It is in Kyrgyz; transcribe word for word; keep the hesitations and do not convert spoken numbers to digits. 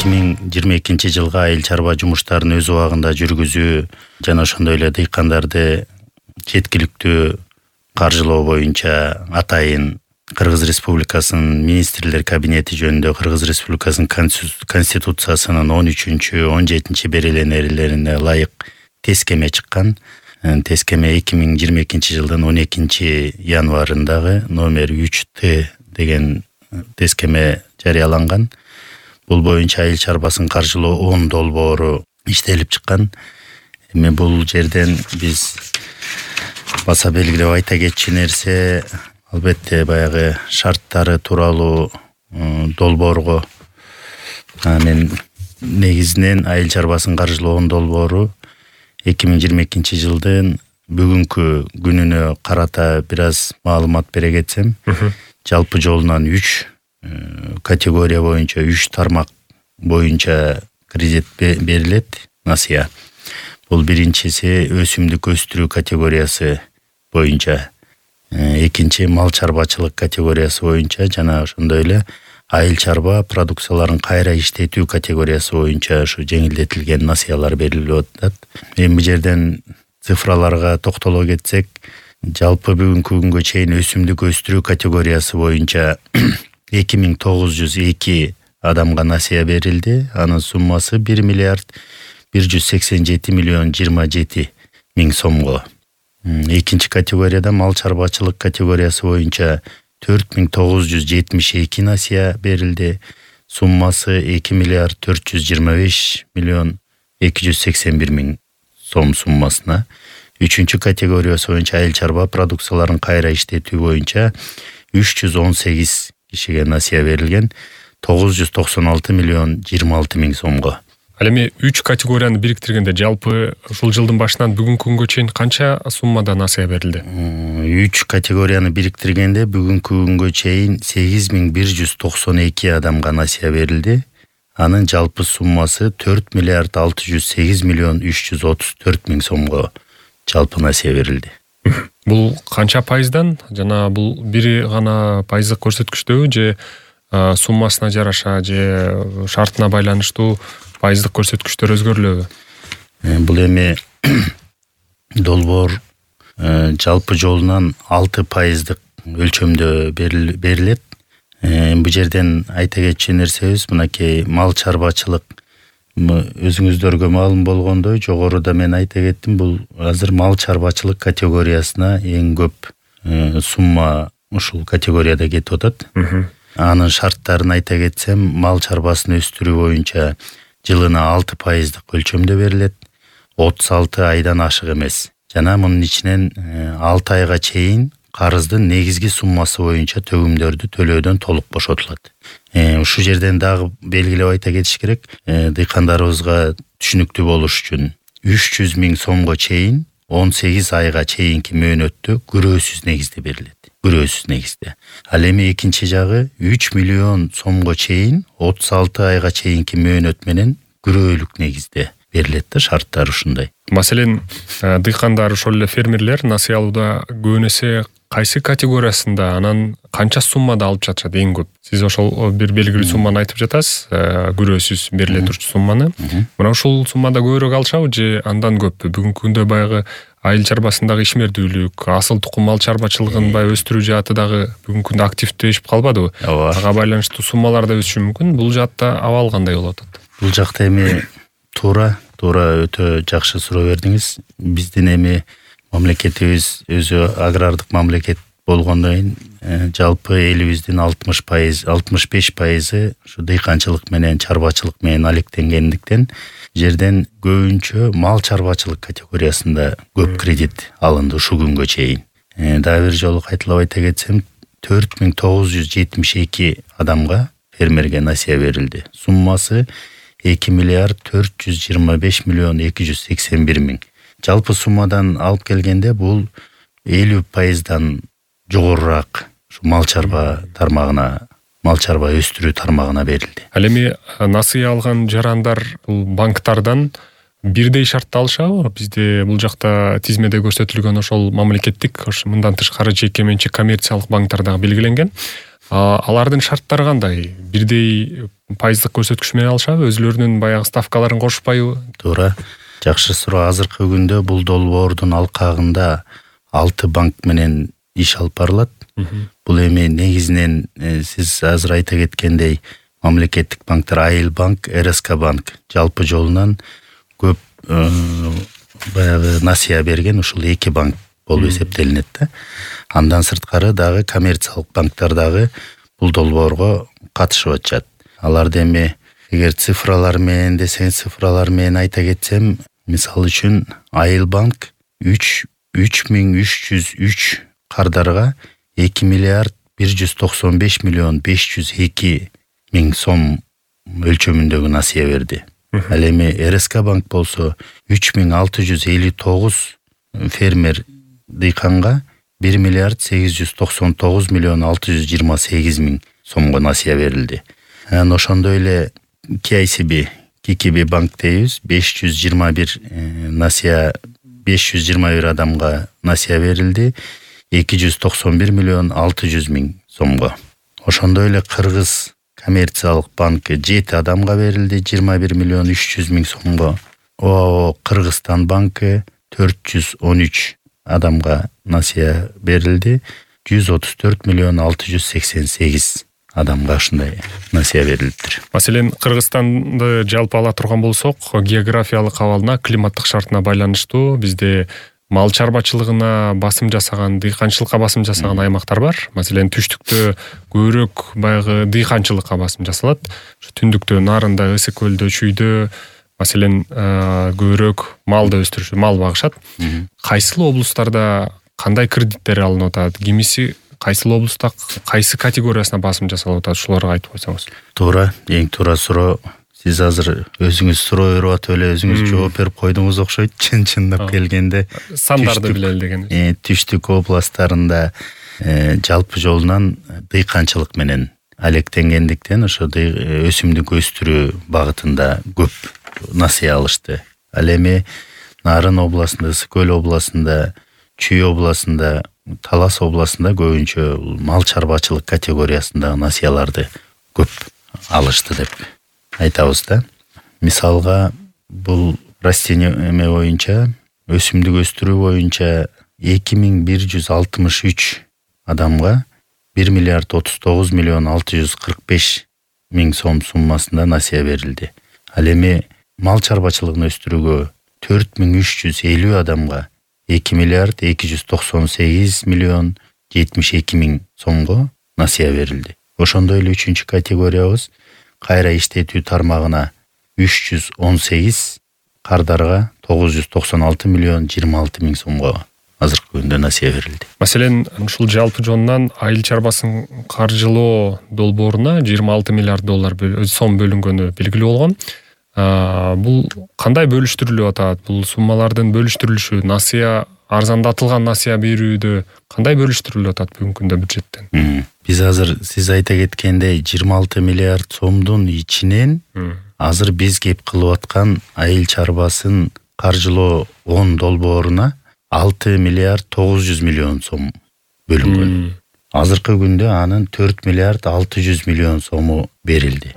эки миң жыйырма экинчи жылга айыл чарба жумуштарын өз убагында жүргүзүү жана ошондой эле дыйкандарды жеткиликтүү каржылоо боюнча атайын Кыргыз Республикасынын министрлер кабинети жөнүндө Кыргыз Республикасынын конституциясынын он үчүнчү он жетинчи береленелерине ылайык тескеме чыккан. Тескеме эки миң жыйырма экинчи жылдын он экинчи январындагы номер үч Т деген тескеме жарыяланган. Бул боюнча айыл чарбасын каржылоо он долбоору иштелип чыккан. Эми бул жерден биз баса белгилеп айта кетчү нерсе, албетте баягы шарттары тууралуу долбоорго мен негизинен айыл чарбасын каржылоо он долбоору эки миң жыйырма экинчи жылдын бүгүнкү күнүнө карата бир аз маалымат бере кетсем, жалпы жолунан үч категория боюнча үч тармак боюнча кредит берилет, насыя. Бул биринчиси өсүмдүк өстүрүү категориясы боюнча, экинчи мал чарбачылык категориясы боюнча жана ошондой эле айыл чарба продукцияларын кайра иштетүү категориясы боюнча ушу жеңилдетилген насыялар берилип атат. Эми бул жерден цифраларга токтоло кетсек, жалпы бүгүнкү күнгө чейин өсүмдүк өстүрүү категориясы боюнча эки миң тогуз жүз эки адамга насыя берилди. Анын суммасы бир миллиард бир жүз сексен жети миллион жыйырма жети миң сомго. Экинчи категорияда мал чарбачылык категориясы боюнча төрт миң тогуз жүз жетимиш эки насыя берилди. Суммасы эки миллиард төрт жүз жыйырма беш миллион эки жүз сексен бир миң сом суммасына. Үчүнчү категориясы боюнча айыл чарба продукцияларын кайра иштетүү боюнча үч жүз он сегиз кишиге насыя берилген, тогуз жүз токсон алты миллион жыйырма алты миң сомго. Ал эми үч категорияны бириктиргенде жалпы ушул жылдын башынан бүгүнкү күнгө чейин канча суммада насыя берилди? Үч категорияны бириктиргенде бүгүнкү күнгө чейин сегиз миң бир жүз токсон эки адамга насыя берилди. Анын жалпы суммасы төрт миллиард алты жүз сегиз миллион үч жүз отуз төрт миң сомго жалпы насыя берилди. Бул канча пайыздан, жана бул бири гана пайыздык көрсөткүчтөбү же суммасына жараша же шартына байланыштуу пайыздык көрсөткүчтөр өзгөрүлөбү? Бул эми долбоор жалпы жолунан алты пайыздык өлчөмдө берилет. Бул жерден айта кетчү нерсебиз, мынакей мал чарбачылык өзүңүздөргө маалым болгондой, жогоруда мен айта кеттим, бул азыр мал чарбачылык категориясына эң көп сумма ушул категорияда кетип атат. Анын шарттарын айта кетсем, мал чарбасын өстүрүү боюнча жылына алты пайыздык өлчөмдө берилет, отуз алты айдан ашык эмес. Жана мунун ичинен алты айга чейин карыздын негизги суммасы боюнча төгүмдөрдү төлөөдөн толук бошотулат. Ушул жерден дагы белгилеп айта кетиш керек, дыйкандарыбызга түшүнүктүү болуш үчүн үч жүз миң сомго чейин он сегиз айга чейинки мөөнөттө күрөөсүз негизде берилет. Күрөөсүз негизде. Ал эми экинчи жагы үч миллион сомго чейин отуз алты айга чейинки мөөнөт менен күрөөлүк негизде берилет да, шарттар ушундай. Маселен, дыйкандар, ошол эле фермерлер насыя алууда көбүн эсе кайсы категориясында, анан канча суммада алып жатышат эң көп? Сиз ошол бир белгилүү сумманы айтып жатасыз, күрөөсүз бериле турчу сумманы. Мына ушул суммада көбүрөөк алышабы же андан көппү? Бүгүнкү күндө баягы айыл чарбасындагы ишмердүүлүк, асыл тукум мал чарбачылыгын баягы өстүрүү жааты дагы бүгүнкү күндө активдешип калбадыбы? Ага байланыштуу суммалар да өсүшү мүмкүн. Бул жаатта абал кандай болуп атат? Бул жакта эми туура, туура өтө жакшы суроо бердиңиз. Биздин эми мамлекетибиз өзү агрардык мамлекет болгондон кийин жалпы элибиздин алтымыш пайыз, алтымыш беш пайызы ушу дыйканчылык менен чарбачылык менен алектенгендиктен жерден көбүнчө мал чарбачылык категориясында көп кредит алынды ушул күнгө чейин. Дагы бир жолу кайталап айта кетсем, төрт миң тогуз жүз жетимиш эки адамга фермерге насыя берилди. Суммасы эки миллиард төрт жүз жыйырма беш миллион эки жүз сексен бир миң. Жалпы суммадан алып келгенде бул элүү пайыздан жогорураак мал чарба тармагына, мал чарба өстүрүү тармагына берилди. Ал эми насыя алган жарандар бул банктардан бирдей шартты алышабы? Бизде бул жакта тизмеде көрсөтүлгөн ошол мамлекеттик, мындан тышкары жеке менчик коммерциялык банктар дагы белгиленген. Алардын шарттары кандай? Бирдей пайыздык көрсөткүч менен алышабы? Өзүлөрүнүн баягы ставкаларын кошпайбы? Туура. Жакшы суроо. Азыркы күндө бул долбоордун алкагында алты банк менен иш алып барылат. Бул эми негизинен сиз азыр айта кеткендей мамлекеттик банктар Айыл банк, эр эс ка банк жалпы жолунан көп баягы насыя берген ушул эки банк болуп эсептелинет да. Андан сырткары дагы коммерциялык банктар дагы бул долбоорго катышып атышат. Аларды эми эгер цифралар менен десеңиз, цифралар менен айта кетсем, мисалы үчүн Айыл банк үч миң үч жүз үч кардарга эки миллиард бир жүз токсон беш миллион беш жүз эки миң сом өлчөмүндөгү насыя берди. Ал эми эр эс ка банк болсо үч миң алты жүз элүү тогуз фермер дыйканга бир миллиард сегиз жүз токсон тогуз миллион алты жүз жыйырма сегиз миң сомго насыя берилди. Анан ошондой эле ке ай си би, ке ке би банк дейбиз, беш жүз жыйырма бир насыя беш жүз жыйырма бир адамга насыя берилди, эки жүз токсон бир миллион алты жүз миң сомго. Ошондой эле Кыргыз коммерциялык банкы жети адамга берилди, жыйырма бир миллион үч жүз миң сомго. ОАО Кыргызстан банкы төрт жүз он үч адамга насыя берилди, жүз отуз төрт миллион алты жүз сексен сегиз адамга ушундай насыя берилиптир. Маселен, Кыргызстанды жалпы ала турган болсок, географиялык абалына, климаттык шартына байланыштуу бизде мал чарбачылыгына басым жасаган, дыйканчылыкка басым жасаган аймактар бар. Маселен, түштүктө көбүрөөк баягы дыйканчылыкка басым жасалат. Түндүктө, нарында, ысык көлдө, чүйдө маселен көбүрөөк малды өстүрүшү, мал багышат. Кайсыл облустарда кандай кредиттер алынып атат? Кимиси кайсыл облуста кайсы категориясына басым жасалып атат? Ушуларга айтып койсоңуз. Туура, эң туура суроо. Сиз азыр өзүңүз суроо берип атып эле өзүңүз жооп берип койдуңуз окшойт. Чын-чындап келгенде сандарды билели деген. Түштүк областтарында жалпы жолунан дыйканчылык менен алектенгендиктен ошо өсүмдүк өстүрүү багытында көп насыя алышты. Ал эми Нарын областында, Ысык көл областында, Чүй областында, Талас областында көбүнчө мал чарбачылык категориясындагы насыяларды көп алышты деп айтабыз да. Мисалга, бул растение боюнча, өсүмдүк өстүрүү боюнча эки миң бир жүз алтымыш үч адамга бир миллиард отуз тогуз миллион алты жүз кырк беш миң сом суммасында насыя берилди. Ал эми мал чарбачылыгын өстүрүүгө төрт миң үч жүз элүү адамга эки миллиард эки жүз токсон сегиз миллион жетимиш эки миң сомго насыя берилди. Ошондой эле үчүнчү категориябыз кайра иштетүү тармагына үч жүз он сегиз кардарга тогуз жүз токсон алты миллион жыйырма алты миң сомго азыркы күндө насыя берилди. Маселен, ушул жалпы жонунан айыл чарбасын каржылоо долбооруна жыйырма алты миллиард доллар сом бөлүнгөнү белгилүү болгон. Бул кандай бөлүштүрүлүп атат? Бул суммалардын бөлүштүрүлүшү, насыя, арзандатылган насыя берүүдө кандай бөлүштүрүлүп атат бүгүнкү күндө бюджеттен? Биз азыр сиз айта кеткендей жыйырма алты миллиард сомдун ичинен азыр биз кеп кылып аткан айыл чарбасын каржылоо он долбооруна алты миллиард тогуз жүз миллион сом бөлүнгөн. Азыркы күндө анын төрт миллиард алты жүз миллион сому берилди.